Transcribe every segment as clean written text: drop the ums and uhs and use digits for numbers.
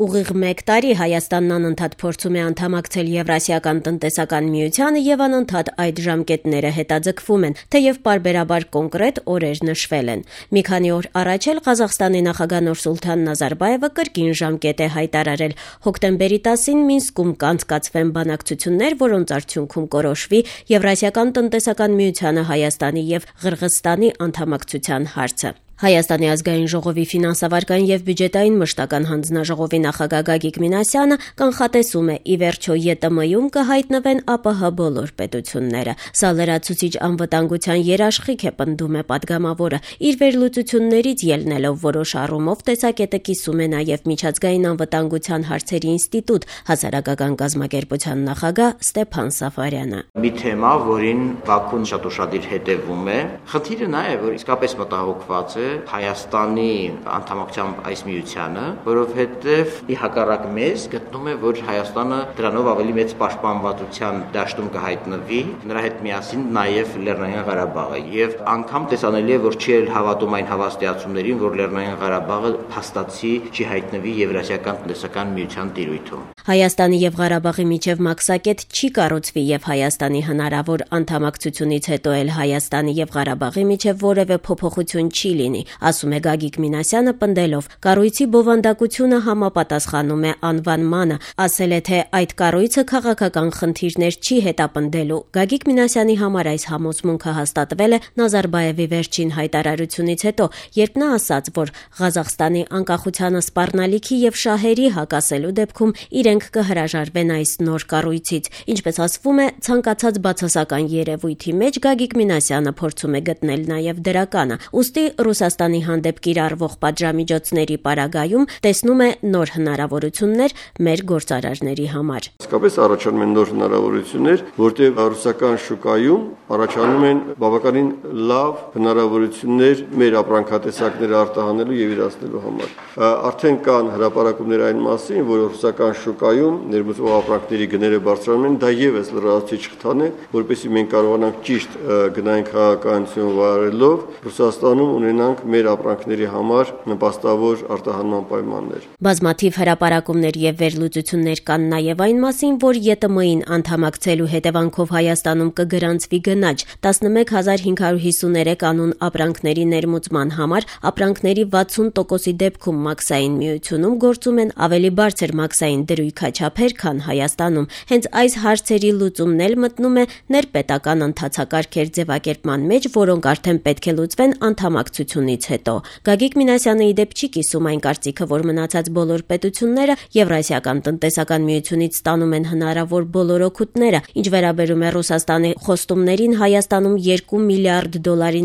Ուղիղ 1 տարի Հայաստանն անընդհատ փորձում է անդամակցել Եվրասիական տնտեսական միությանը եւ անընդհատ այդ ժամկետները հետաձգվում են, թեև պարբերաբար կոնկրետ օրեր նշվել են։ Մի քանի օր առաջ էլ Ղազախստանի նախագահ Նուրսուլթան Նազարբաևը կրկին ժամկետ է հայտարարել։ Հոկտեմբերի 10-ին Մինսկում կանցկացվեն բանակցություններ, որոնց արդյունքում կորոշվի Եվրասիական տնտեսական միությանը Հայաստանի եւ Ղրղըզստանի անդամակցության հարցը։ Հայաստանի ազգային ժողովի ֆինանսավարական եւ բյուջետային մշտական հանձնաժողովի նախագահ Գագիկ Մինասյանը կանխատեսում է՝ ի վերջո ԵՏՄ-ում կհայտնվեն ԱՊՀ բոլոր պետությունները։ Սա լրացուցիչ անվտանգության երաշխիք է, պնդում է պատգամավորը։ Իր վերլուծություններից ելնելով որոշ առումով տեսակետը կիսում է նաեւ Միջազգային անվտանգության հարցերի ինստիտուտ հասարակական կազմակերպության նախագահ Ստեփան Սաֆարյանը։ Մի թեմա, որին Բաքուն շատ ուշադիր հետևում է, խնդիրը նա է, որ իսկապես մտահոգված է Հայաստանի անդամակցությամբ այս միությանը, որովհետև ի հակառակ մեզ գտնում է, որ Հայաստանը դրանով ավելի մեծ պաշտպանվածության դաշտում կհայտնվի, նրա հետ միասին նաև Լեռնային Ղարաբաղը, եւ անգամ տեսանելի է, որ չի հավատում այն հավաստիացումներին, որ Լեռնային Ղարաբաղը փաստացի չի հայտնվի Եվրասիական տնտեսական միության տիրույթում։ Հայաստանի եւ Ղարաբաղի միջև մաքսակետ չի կառուցվի եւ Հայաստանի հնարավոր անդամակցությունից հետո էլ Հայաստանի եւ Ղարաբաղի միջև որևէ փոփոխություն չի լինի, ասում է Գագիկ Մինասյանը, պնդելով. կառույցի բովանդակությունը համապատասխանում է անվանմանը, ասել է, թե այդ կառույցը քաղաքական խնդիրներ չի հետապնդելու։ Գագիկ Մինասյանի համար այս համոզմունքը հաստատվել է Նազարբաևի վերջին հայտարարությունից հետո, երբ նա ասաց, որ Ղազախստանի անկախությանը սպառնալիքի եւ շահերի հակասելու դեպքում իրենք կհրաժարվեն այս նոր կառույցից։ Ինչպես ասվում է, ցանկացած բացասական երևույթի մեջ Գագիկ Մինասյանը փորձում է գտնել նաեւ դրականը։ Ուստի Ռուսաստանի հանդեպ կիրառվող պատժամիջոցների պարագայում տեսնում է նոր հնարավորություններ մեր գործարարների համար։ Իսկապես առաջանում են նոր հնարավորություններ, որտեղ ռուսական շուկայում առաջանում են բավականին լավ հնարավորություններ մեր ապրանքատեսակները արտահանելու եւ իրացնելու համար։ Արդեն կան հրապարակումներ այն մասին, որ ռուսական շուկայում ներմուծվող ապրանքների գները բարձրանում են, դա եւս լրացուցիչ խթան է, որպեսզի մենք կարողանանք ճիշտ գնային քաղաքականություն վարելով Ռուսաստանում ունենանք մեր ապրանքների համար նպաստավոր արտահանման պայմաններ։ Բազմաթիվ հրապարակումներ եւ վերլուծություններ կան նաեւ այն մասին, որ ԵՏՄ-ին անդամակցելու հետևանքով Հայաստանում կգրանցվի գնաճ 11553 անուն ապրանքների ներմուծման համար, ապրանքների 60%-ի դեպքում մաքսային միությունում գործում են ավելի բարձր մաքսային դրույքաչափեր, քան Հայաստանում։ Հենց այս հարցերի լուծումն էլ մտնում է ներպետական ընթացակարգեր ձևակերպման մեջ, որոնք արդեն պետք է լուծվեն անդամակցությունից հետո։ Գագիկ Մինասյանը ի դեպ չի կիսում այն կարծիքը, որ մնացած բոլոր պետությունները Եվրասիական տնտեսական միությունից ստանում են հնարավոր բոլոր օգուտները, ինչ վերաբերում է Ռուսաստանի խոստումներին Հայաստանում $2 միլիարդ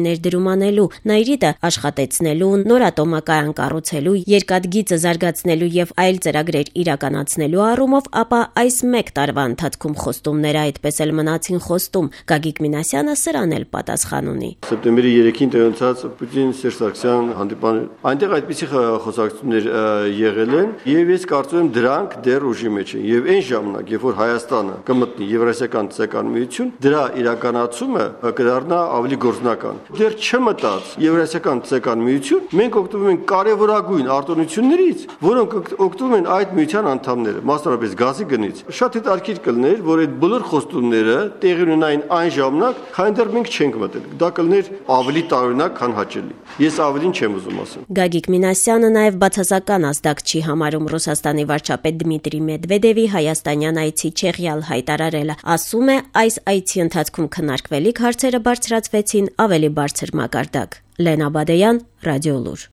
ներդրում անելու, Նաիրիտը աշխատեցնելու, նոր ատոմակայան կառուցելու, երկաթգիծը զարգացնելու եւ այլ ծրագրեր իրականացնելու առումով, ապա այս 1 տարվա ընթացքում խոստումները այդպես էլ մնացին խոստում։ Գագիկ Մինասյանը սրան էլ պատասխան ունի։ Սեպտեմբերի 3-ին տեղացած Պուտին-Սերժ Սարգսյան հանդիպան այնտեղ այդպիսի խոսակցություններ եղել են եւ ես կարծում եմ դրանք դեռ ուժի մեջ են եւ այն ժամանակ, երբ որ Հայաստանը կմտնի Եվրասիական տնտեսական միություն, դրա իրականացումը կդառնա ավելի գործնական։ Դեռ չմտած Եվրասիական տնտեսական միություն, մենք օգտվում ենք կարևորագույն արտոնություններից, որոնք օգտվում են այդ միության անդամները, մասնավորապես գազի գնից։ Շատ հետաքրքիր կլներ, որ այդ բոլոր խոստումները տեղի ունենային այն ժամանակ, քան դեռ մենք չենք մտել։ Դա կլներ ավելի տարօրինակ, քան հաճելի։ Ես ավելին չեմ ուզում ասել։ Գագիկ Մինասյանը նաև բացասական ազդակ չի համարում Ռուսաստանի վարչապետ Դմիտրի Մեդվեդևի հայաստանյան այցի Չեխիալ հայտարարելը։ Ասում է, այս այցի ընթացքում քննարկվելիք հարցերը բարձրացվեցին ավելի բարձր մակարդակ։ Լենա Բադեյան, Ռադիոլուր։